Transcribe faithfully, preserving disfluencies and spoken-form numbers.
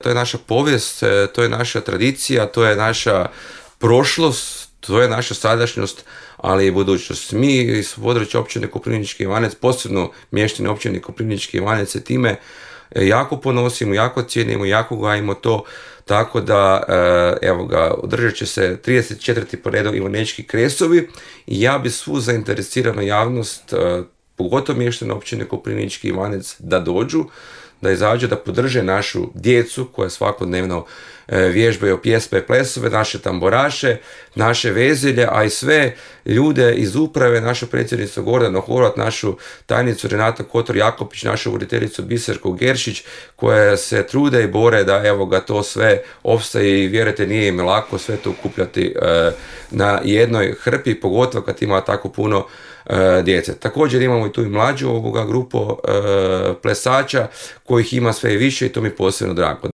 to je naša povijest, to je naša tradicija, to je naša prošlost, to je naša sadašnjost, ali i budućnost. Mi iz područja općine Koprivnički Ivanec, posebno mještani općine Koprivnički Ivanec, se time jako ponosimo, jako cijenimo, jako gajimo to, tako da, evo ga, održat će se trideset četvrti po redu Ivanečki kresovi i ja bi svu zainteresiranu javnost, pogotovo mještane općine Koprivnički Ivanec, da dođu, da izađu, da podrže našu djecu koja svakodnevno vježbaju pjesme i plesove, naše tamburaše, naše vezelje, a i sve ljude iz uprave, našu predsjednicu Gordanu Horvat, našu tajnicu Renata Kotor-Jakopić, našu voditeljicu Biserku Geršić, koje se trude i bore da, evo ga, to sve opstaje i vjerujte, nije im lako sve to okupljati e, na jednoj hrpi, pogotovo kad ima tako puno e, djece. Također imamo i tu i mlađu ovoga grupu e, plesača kojih ima sve više i to mi posebno drago.